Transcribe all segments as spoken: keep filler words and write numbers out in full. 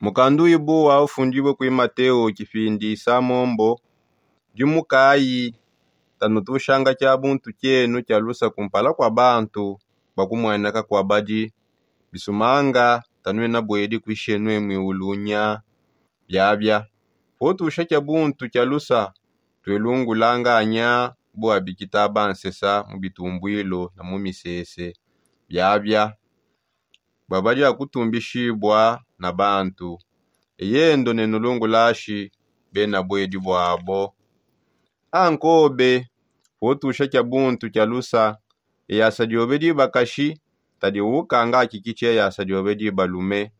Mukandu ibu wa ufundibue kui mateo kipindi samombo. Dimukayi, tanutushanga kia buntu kienu kia lusa kumpala kua bantu bua kumueneka kua badi. Bisumanga tanuena buedi kuishenue muiulunya. Biabia, potusha kia buntu kia lusa, tuelungulanganya bua bikita bansesa mu bitumbuilo na mu misese. Biabia, bua badi akutumbishibua na bantu. Eyendo ne nulungulashi bena buedi buabo. Ankobe, potusha kia buntu kia lusa, eyasa diobe dibakashi tadi ukanga akikitshi eyasa diobe dibalume.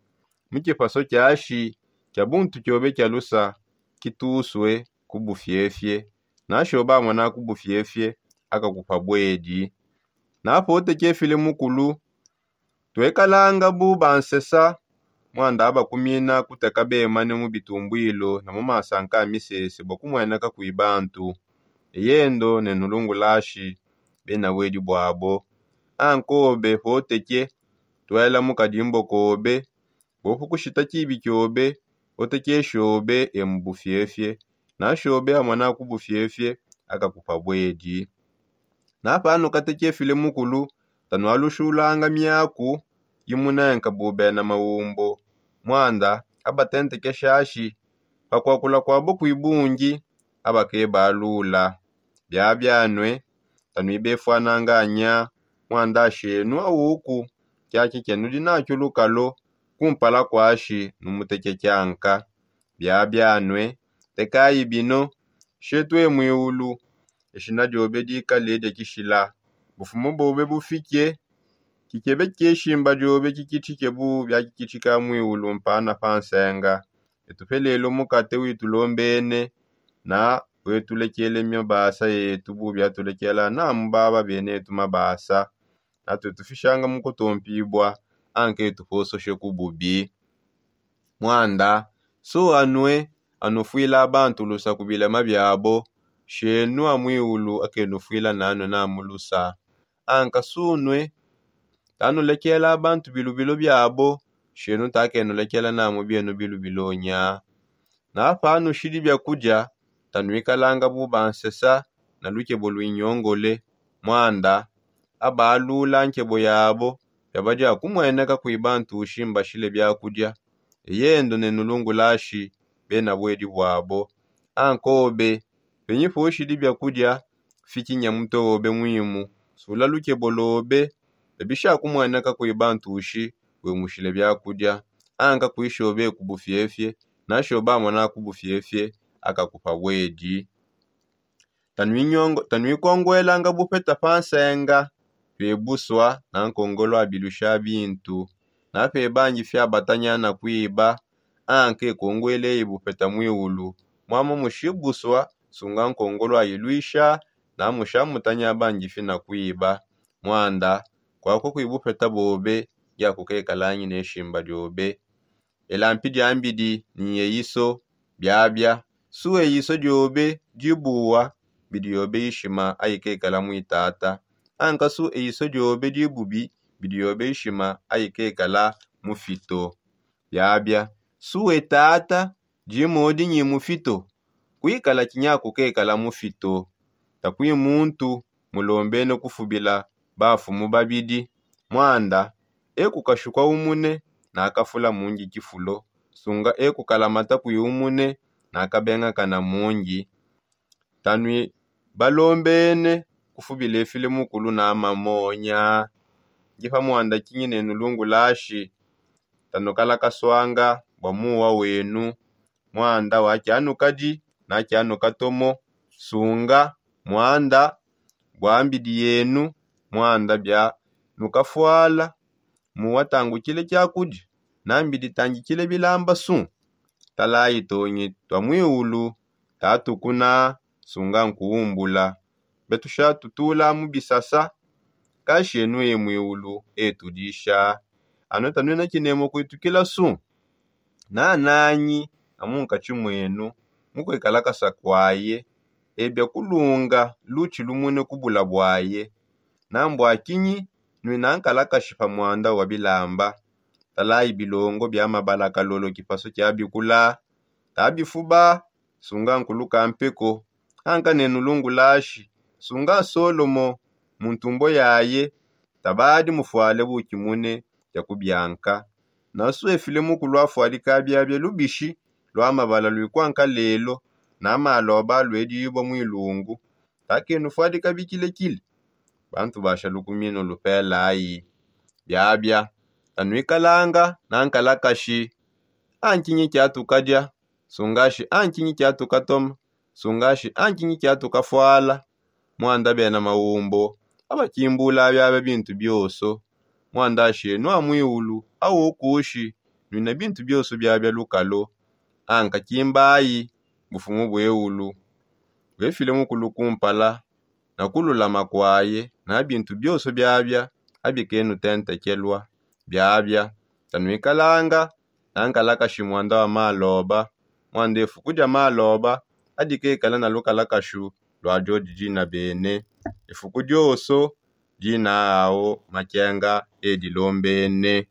Mu kipaso kiashi kia buntu kiobe kia lusa, kitusue ku bufiefie. Nashoba amona ku bufiefie akakupa buedi. Napote kefile mukulu, tuekalanga bu bansesa, muanda abakumina kuteka bemane mu bitumbuilo na mu masanka a misese bua kumueneka kui bantu. Eyendo ne nulungulashi bena buedi buabo. Ankobe poteke, tuela mu kadimbo kobe, bopu kushita kibi kiobe, otekeshobe e mu bufiefie. Nashobe amona ku bufiefie akakupa buedi. Napanu katekefile mukulu, tanualushulanga miaku imunenka bu bena maumbo. Muanda abatentekeshashi pakuakula kuabo kui bungi, abakebalula. Biabianue, tanuibefuananganya muanda shenu auku kiaki kenudi nakio lukalo kumpala kuashi numuteke kianka. Biabianue, tekayi bino, shetu e muiulu, eshina diobe dikale dia kishila, bufumu bobe bufike, kikebe keshimba diobe kikitshike bu biakikitika muiulu mpana pa nsenga. Etupe lelu mukate witulombene, na wetulekele mabasa etu bu biatulekela namu baba benetu mabasa. Natue tufishanga mu kutompibua, anke tupososhe ku bubi. Muanda, su anue anufuila bantu lusa ku bilema biabo, shenu a muiulu akenufuila nanue namu lusa. Anka sunue tanulekela bantu bilubilo biabo, shenu takenulekela namu bienu bilubilo nya. Napanushidi biakudia, tanuikalanga bu bansesa na lukebo luinyongole. Muanda abalula nkebo yabo, biabadi akumueneka kui bantushi mbashile biakudia. Eyendo ne nulungulashi bena buedi buabo. Ankobe, penyi poshidi biakudia, fikinya mutue obe muimu, sula lukebo lobe, bebisha kumueneka kui bantushi, wemushile biakudia. Anka kuishobe ku bufiefie, nashoba amona ku bufiefie akakupa buedi. Tanuikonguelanga bupeta pa nsenga, tuebusua na nkongolo abilusha bintu. Nape bangi fia batanya na kuiba, anke kongueleyi bupeta muiulu. Muamu mushibusua sunga nkongolo ayiluisha, na musha mutanya bangi fina kuiba. Muanda kuaku kui bupeta bobe, diakukekalanyi ne shimba diobe. Elampi diambidi ni eyiso biabia. Su eyiso diobe dibuwa, bidi yobe ishima ayikekala muitata. Anka su eyiso diobe dibubi, bidi yobe ishima ayikekala mufito. Biabia, su etata dimodi nyi mufito, kuikala kinyakukekala mufito. Takui muntu mulombene kufubila bafumu babidi. Muanda ekukashukua umune, nakafula mungi kifulo. Sunga ekukalamata kui umune, nakabengakana mungi. Tanui balombene kufubila efile mukulu na mamonya. Ndi pa muanda kinyi ne nulungulashi, tanukalakaswanga bua muwa wenu. Muanda wa kianukadi na kianukatomo, sunga muanda bua mbidi yenu. Muanda bia nukafuala muwa tangukile kiakudi na mbidi tangikile bilamba su. Talayi tongi tua muiulu tatukuna, sunga nkuumbula. Betusha tutula mu bisasa, kashi enu e muiulu etudisha. Anu tanuena kinemu kuitukila su. Nananyi amunkatshi muenu mukuikalakasa kuaye, ebia kulunga lutshi lumune kubula buaye. Nambua kinyi nuina nkalakashi pa muanda wa bilamba. salayi bilongo bia mabala kalolo kipaso kia bikula. Tabifuba, sunga nkulu kampeko. Anka nenu lungulashi, sunga solomo mu ntumbo yaye. Tabadi mufuale bukimune kia kubianka. Naswefile mukulu afuadika biabia lubishi lua mabala luikwanka lelo na maloba luedibua muilungu. Takenu fuadika bikilekile. Bantu basha lukuminu lupelayi. Biabia, tanuikalanga na nkalakashi. Ankinyi kiatukadia? Sungashi ankinyi kiatukatoma? Sungashi ankinyi kiatukafuala? Muanda bena maumbo abakimbula biabia bintu bioso. Muanda ashenu a muiulu awokushi nuina bintu bioso biabia lukalo. Anka kimbayi bufumu bueulu. Wefile mukulu kumpala na kululama kuaye na bintu bioso biabia abikenu tentekelua. Biabia, tanuikalanga na nkalakashi muanda wa maloba. Muanda efuku dia maloba adikekala na lukalakashu lua diodi dina bene. Efuku dioso dina ao makenga edilombene.